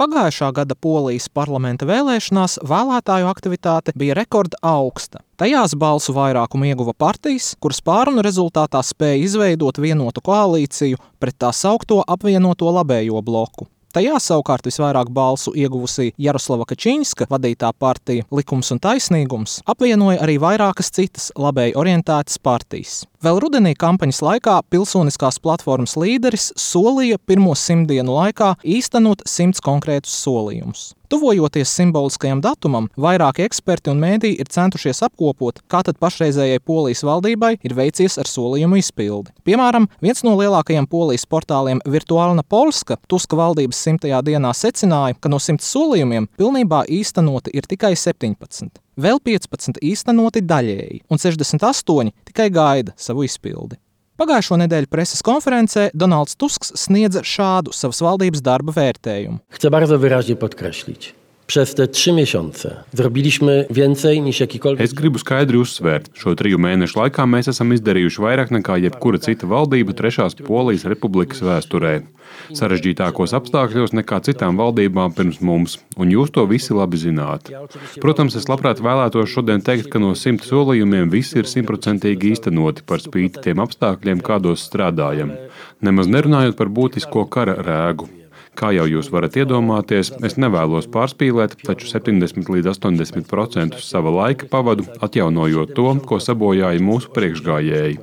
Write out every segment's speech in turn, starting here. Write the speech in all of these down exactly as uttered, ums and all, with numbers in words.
Pagājušā gada Polijas parlamenta vēlēšanās vēlētāju aktivitāte bija rekorda augsta. Tajās balsu vairākumu ieguva partijas, kuras pārunu rezultātā spēja izveidot vienotu koalīciju pret tā saukto apvienoto labējo bloku. Tajā savukārt visvairāk balsu ieguvusī Jaroslava Kačinska vadītā partija Likums un taisnīgums apvienoja arī vairākas citas labēji orientētas partijas. Vēl rudenī kampaņas laikā pilsoniskās platformas līderis solīja pirmo simtdienu laikā īstenot simts konkrētus solījumus. Tuvojoties simboliskajam datumam, vairāki eksperti un mēdīji ir centušies apkopot, kā tad pašreizējai Polijas valdībai ir veicies ar solījumu izpildi. Piemēram, viens no lielākajiem Polijas portāliem Virtualna Polska Tuska valdības simtajā dienā secināja, ka no simts solījumiem pilnībā īstenoti ir tikai septiņpadsmit. Vēl piecpadsmit īstenoti daļēji, un sešdesmit astoņi tikai gaida savu izpildi. Pagājušo nedēļu preses konferencē Donalds Tusks sniedza šādu savas valdības darba vērtējumu. Chcę bardzo wyraźnie podkreślić. Przez te trzy miesiące zrobiliśmy więcej niż jakikolwiek... Es gribu skaidri uzsvērt, šo triju mēnešu laikā mēs esam izdarījuši vairāk nekā jebkura cita valdība trešās Polijas republikas vēsturē. Sarežģītākos apstākļos nekā citām valdībām pirms mums, un jūs to visi labi zināt. Protams, es labprāt vēlētos šodien teikt, ka no simt solījumiem visi ir simtprocentīgi īstenoti par spīti tiem apstākļiem, kādos strādājam. Nemaz nerunājot par būtisko kara rēgu. Kā jau jūs varat iedomāties, es nevēlos pārspīlēt, taču septiņdesmit līdz astoņdesmit procentus sava laika pavadu atjaunojot to, ko sabojāja mūsu priekšgājēji.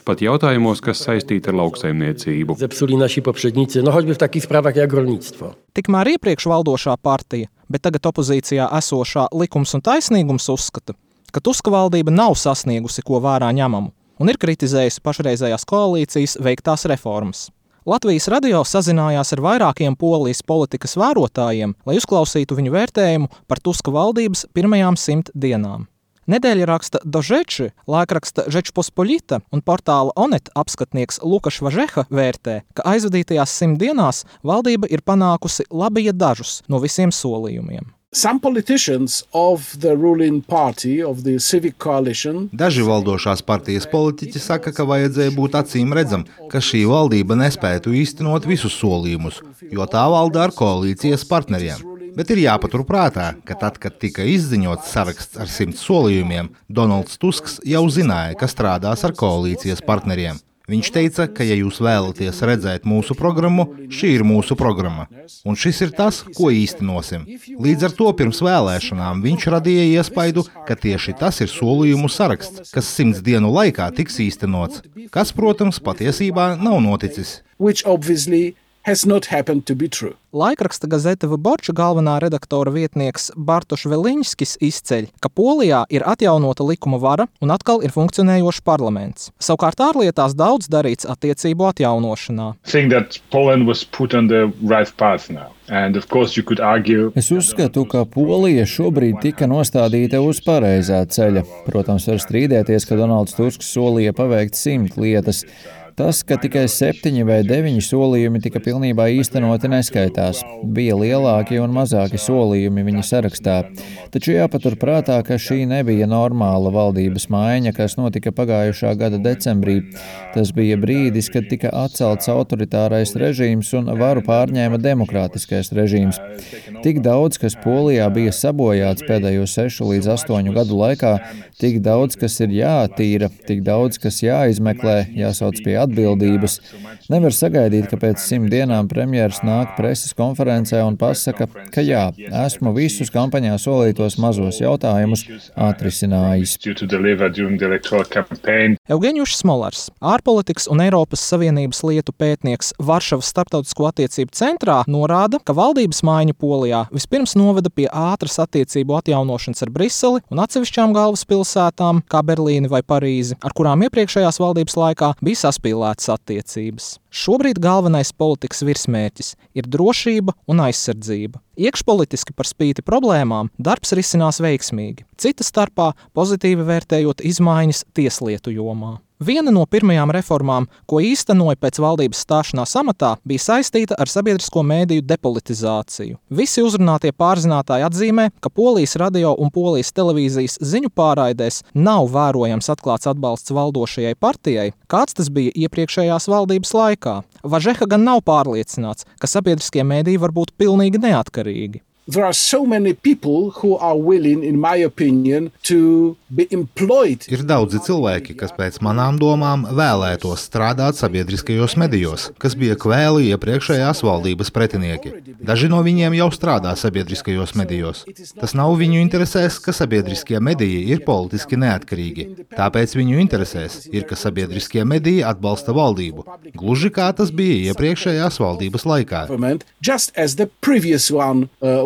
Pat jautājumos, kas saistīti ar lauksaimniecību. Zepsuli nasi poprzednicy, no choćby w takich sprawach jak rolnictwo. Tikmēr iepriekš valdošā partija, bet tagad opozīcijā esošā Likums un taisnīgums uzskata, ka Tuska valdība nav sasniegusi ko vērā ņemamu un ir kritizējusi pašreizējās koalīcijas veiktās reformas. Latvijas radio sazinājās ar vairākiem Polijas politikas vērotājiem, lai uzklausītu viņu vērtējumu par Tuska valdības pirmajām simt dienām. Nedēļraksta Dožeči, laikraksta Žečpospoļita un portāla Onet apskatnieks Lukaš Važeha vērtē, ka aizvadītajās simt dienās valdība ir panākusi labi ja dažus no visiem solījumiem. Some politicians of the ruling party, of the civic coalition... Daži valdošās partijas politiķi saka, ka vajadzēja būt acīm redzam, ka šī valdība nespētu īstenot visus solījumus, jo tā valda ar koalīcijas partneriem. Bet ir jāpatur prātā, ka tad, kad tika izziņots saraksts ar simts solījumiem, Donalds Tusks jau zināja, ka strādās ar koalīcijas partneriem. Viņš teica, ka, ja jūs vēlaties redzēt mūsu programmu, šī ir mūsu programma. Un šis ir tas, ko īstenosim. Līdz ar to pirms vēlēšanām viņš radīja iespaidu, ka tieši tas ir solījumu saraksts, kas simts dienu laikā tiks īstenots, kas, protams, patiesībā nav noticis. Which obviously has not happened to be true. Laikraksta Gazeta Vyborča galvenā redaktora vietnieks Bartoš Veliņskis izceļ, ka Polijā ir atjaunota likuma vara un atkal ir funkcionējošs parlaments. Savukārt ārlietās daudz darīts attiecību atjaunošanā. Es uzskatu, ka Polija šobrīd tika nostādīta uz pareizā ceļa. Protams, var strīdēties, ka Donalds Tusks solīja paveikt simt lietas. Tas, ka tikai septiņi vai deviņi solījumi tika pilnībā īstenoti, neskaitās. Bija lielāki un mazāki solījumi viņa sarakstā. Taču jāpatur prātā, ka šī nebija normāla valdības maiņa, kas notika pagājušā gada decembrī. Tas bija brīdis, kad tika atcelts autoritārais režīms un varu pārņēma demokrātiskais režīms. Tik daudz, kas Polijā bija sabojāts pēdējo sešu līdz astoņu gadu laikā, tik daudz, kas ir jātīra, tik daudz, kas jāizmeklē, jāsauc pie atbildības. Nevar sagaidīt, ka pēc simt dienām premjers nāk preses konferencē un pasaka, ka jā, esmu visus kampaņā solītos mazos jautājumus atrisinājis. Eugenijus Smolars, ārpolitikas un Eiropas Savienības lietu pētnieks Varšavas starptautisko attiecību centrā, norāda, ka valdības maiņa Polijā vispirms noveda pie ātras attiecību atjaunošanas ar Briseli un atsevišķām galvaspilsētām, kā Berlīni vai Parīzi, ar kurām iepriekšējās valdības laikā bija saspīlētas attiecības. Šobrīd galvenais politikas virsmērķis ir drošība un aizsardzība. Iekšpolitiski par spīti problēmām darbs risinās veiksmīgi, cita starpā pozitīvi vērtējot izmaiņas tieslietu jomā. Viena no pirmajām reformām, ko īstenoja pēc valdības stāšanās amatā, bija saistīta ar sabiedrisko mēdīju depolitizāciju. Visi uzrunātie pārzinātāji atzīmē, ka Polijas radio un Polijas televīzijas ziņu pārraidēs nav vērojams atklāts atbalsts valdošajai partijai, kāds tas bija iepriekšējās valdības laikā. Važeha gan nav pārliecināts, ka sabiedriskie mēdīji var būt pilnīgi neatkarīgi. There are so many people who are willing, in my opinion, to be employed. Ir daudzi cilvēki, kas pēc manām domām vēlētos strādāt sabiedriskajos medijos, kas bija kvēli iepriekšējās valdības pretinieki. Daži no viņiem jau strādā sabiedriskajos medijos. Tas nav viņu interesēs, ka sabiedriskie mediji ir politiski neatkarīgi. Tāpēc viņu interesēs ir, ka sabiedriskie mediji atbalsta valdību, gluži kā tas bija iepriekšējās valdības laikā. Just as the previous one, uh,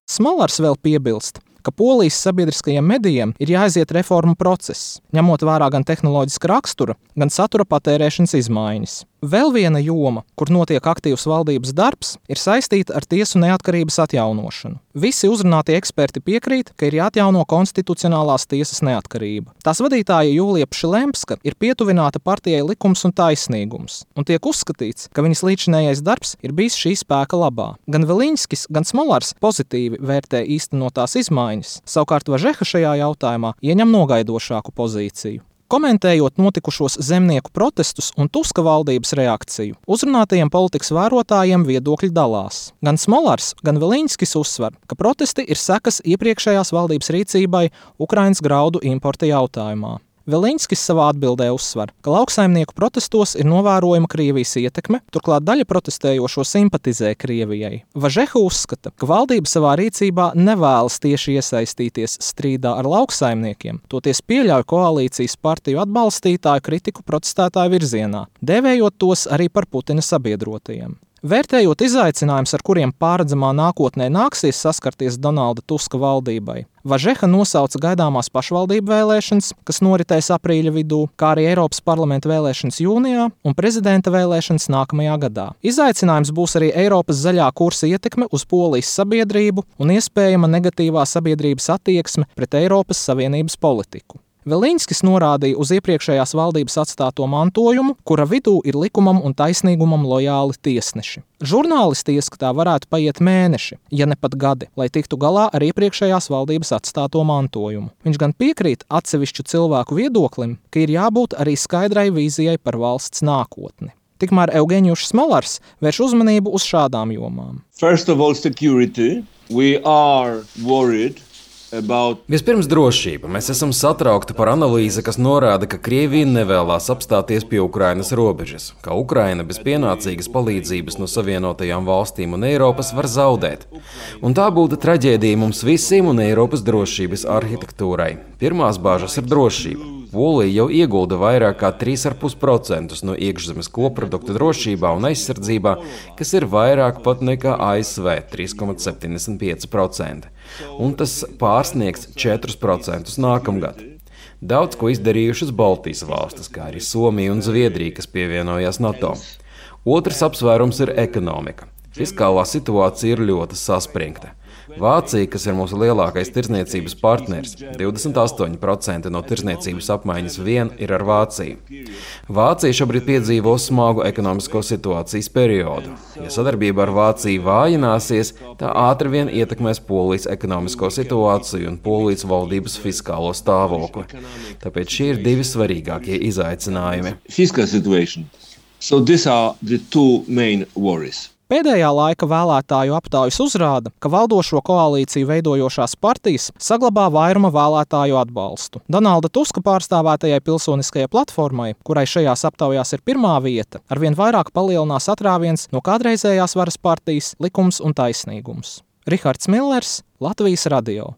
Smolars vēl piebilst, ka Polijas sabiedriskajiem medijiem ir jāaiziet reformu process, ņemot vērā gan tehnoloģiska rakstura, gan satura patērēšanas izmaiņas. Vēl viena joma, kur notiek aktīvs valdības darbs, ir saistīta ar tiesu neatkarības atjaunošanu. Visi uzrunātie eksperti piekrīt, ka ir jāatjauno konstitucionālās tiesas neatkarība. Tās vadītāja Jūlija Pšilemska ir pietuvināta partijai Likums un taisnīgums, un tiek uzskatīts, ka viņas līdzinējais darbs ir bijis šī spēka labā. Gan Veliņskis, gan Smolars pozitīvi vērtē īstenotās izmaiņas, savukārt Važeha šajā jautājumā ieņem nogaidošāku pozīciju. Komentējot notikušos zemnieku protestus un Tuska valdības reakciju, uzrunātajiem politikas vērotājiem viedokļi dalās. Gan Smolars, gan Veliņskis uzsver, ka protesti ir sekas iepriekšējās valdības rīcībai Ukrainas graudu importa jautājumā. Veliņskis savā atbildē uzsver, ka lauksaimnieku protestos ir novērojama Krievijas ietekme, turklāt daļa protestējošo simpatizē Krievijai. Važeha uzskata, ka valdība savā rīcībā nevēlas tieši iesaistīties strīdā ar lauksaimniekiem, toties pieļauj koalīcijas partiju atbalstītāju kritiku protestētāju virzienā, dēvējot tos arī par Putina sabiedrotajiem. Vērtējot izaicinājumus, ar kuriem pārredzamā nākotnē nāksies saskarties Donalda Tuska valdībai, Važeha nosauca gaidāmās pašvaldību vēlēšanas, kas noritēs aprīļa vidū, kā arī Eiropas parlamenta vēlēšanas jūnijā un prezidenta vēlēšanas nākamajā gadā. Izaicinājums būs arī Eiropas zaļā kursa ietekme uz Polijas sabiedrību un iespējama negatīvā sabiedrības attieksme pret Eiropas Savienības politiku. Veliņskis norādīja uz iepriekšējās valdības atstāto mantojumu, kura vidū ir likumam un taisnīgumam lojāli tiesneši. Žurnālisti ieskatā varētu paiet mēneši, ja ne pat gadi, lai tiktu galā ar iepriekšējās valdības atstāto mantojumu. Viņš gan piekrīt atsevišķu cilvēku viedoklim, ka ir jābūt arī skaidrai vīzijai par valsts nākotni. Tikmēr Eugenijus Smolars vērš uzmanību uz šādām jomām. First of all, security. We are worried. About... Vispirms drošība. Mēs esam satraukti par analīzi, kas norāda, ka Krievija nevēlās apstāties pie Ukrainas robežas, ka Ukraina bez pienācīgas palīdzības no Savienotajām valstīm un Eiropas var zaudēt. Un tā būtu traģēdija mums visiem un Eiropas drošības arhitektūrai. Pirmās bāžas ir drošība. Polija jau iegulda vairāk kā trīs komats pieci procenti no iekšzemes koprodukta drošībā un aizsardzībā, kas ir vairāk pat nekā A S V trīs komats septiņdesmit pieci procenti. Un tas pārsniegs četrus procentus nākamgad. Daudz ko izdarījušas Baltijas valstis, kā arī Somija un Zviedrija, kas pievienojās NATO. Otrs apsvērums ir ekonomika. Fiskālā situācija ir ļoti saspringta. Vācija, kas ir mūsu lielākais tirdzniecības partners, divdesmit astoņi procenti no tirdzniecības apmaiņas vien ir ar Vāciju. Vācija šobrīd piedzīvo smagu ekonomisko situācijas periodu. Ja sadarbība ar Vāciju vājināsies, tā ātri vien ietekmēs Polijas ekonomisko situāciju un Polijas valdības fiskālo stāvokli. Tāpēc šie ir divi svarīgākie izaicinājumi. Fiscal situation. So these are the two main worries. Pēdējā laika vēlētāju aptaujas uzrāda, ka valdošo koalīciju veidojošās partijas saglabā vairuma vēlētāju atbalstu. Donalda Tuska pārstāvētajai pilsoniskajai platformai, kurai šajās aptaujās ir pirmā vieta, arvien vairāk palielinās atrāviens no kādreizējās varas partijas Likums un taisnīgums. Rihards Millers, Latvijas radio.